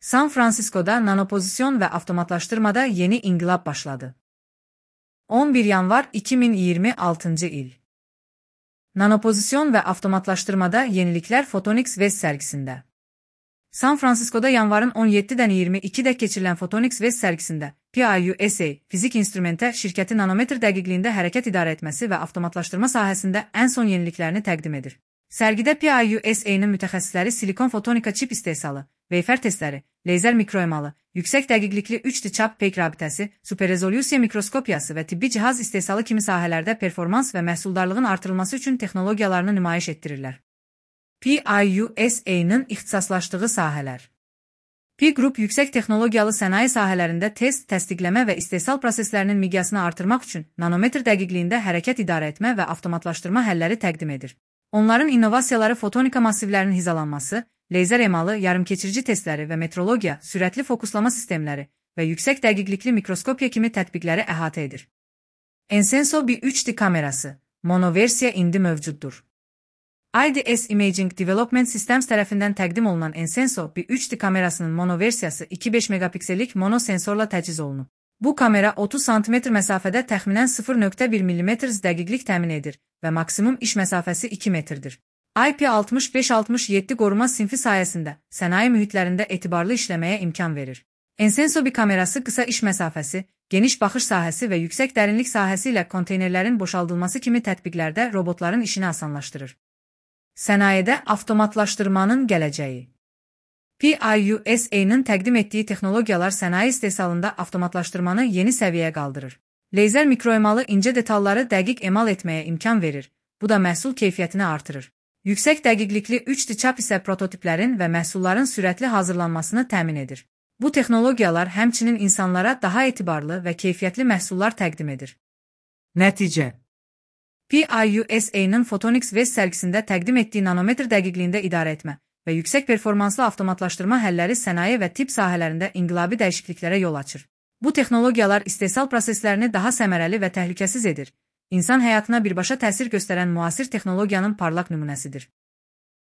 San Francisco'da nanopozisyon ve avtomatlaştırmada yeni inqilab başladı. 11 yanvar 2026 il. Nanopozisyon ve avtomatlaştırmada yenilikler Photonics West sergisinde. San Francisco'da yanvarın 17'den 22'de keçirilən Photonics West sergisinde PIUSA fizik instrümenti şirketi nanometr dəqiqliyində hərəkət idarə etməsi və avtomatlaşdırma sahəsində ən son yeniliklərini təqdim edir. Sərgidə PIUSA-nın mütəxəssisləri silikon fotonika çip istehsalı, veyfer testləri, leyzer mikroemalı, yüksək dəqiqlikli 3D çap peyk rabitəsi, superrezolyusiya mikroskopiyası və tibbi cihaz istehsalı kimi sahələrdə performans və məhsuldarlığın artırılması üçün texnologiyalarını nümayiş etdirirlər. PIUSA-nın ixtisaslaşdığı sahələr. Pi Group yüksək texnologiyalı sənaye sahələrində test, təsdiqləmə və istehsal proseslərinin miqyasını artırmaq üçün nanometr dəqiqliyində hərəkət idarə etmə və avtomatlaşdırma həlləri təqdim edir. Onların innovasiyaları fotonika massivlərinin hizalanması, leyzer emalı yarımkeçirici testləri və metrologiya, sürətli fokuslama sistemləri və yüksək dəqiqlikli mikroskopiya kimi tətbiqləri əhatə edir. Ensenso bir 3D kamerası, monoversiya indi mövcuddur. IDS Imaging Development Systems tərəfindən təqdim olunan Ensenso bir 3D kamerasının monoversiyası 2.5 megapiksellik monosensorla təchiz olunub. Bu kamera 30 cm məsafədə təxminən 0.1 mm dəqiqlik təmin edir və maksimum iş məsafəsi 2 metrdir. IP6567 qoruma sinfi sayəsində sənaye mühitlərində etibarlı işləməyə imkan verir. Ensenso bir kamerası qısa iş məsafəsi, geniş baxış sahəsi və yüksək dərinlik sahəsi ilə konteynerlərin boşaldılması kimi tətbiqlərdə robotların işini asanlaşdırır. Sənayedə avtomatlaşdırmanın gələcəyi. PIUSA-nın təqdim etdiyi texnologiyalar sənaye istehsalında avtomatlaşdırmanı yeni səviyyəyə qaldırır. Leyzer mikroemalı incə detalları dəqiq emal etməyə imkan verir, bu da məhsul keyfiyyətini artırır. Yüksək dəqiqlikli 3D çap isə prototiplərin və məhsulların sürətli hazırlanmasını təmin edir. Bu texnologiyalar həmçinin insanlara daha etibarlı və keyfiyyətli məhsullar təqdim edir. Nəticə. PIUSA-nın Photonics West sərgisində təqdim etdiyi nanometr dəqiqliyində idarə etmə və yüksək performanslı avtomatlaşdırma həlləri sənaye və tibb sahələrində inqilabi dəyişikliklərə yol açır. Bu texnologiyalar istehsal proseslərini daha səmərəli və təhlükəsiz edir. İnsan həyatına birbaşa təsir göstərən müasir texnologiyanın parlaq nümunəsidir.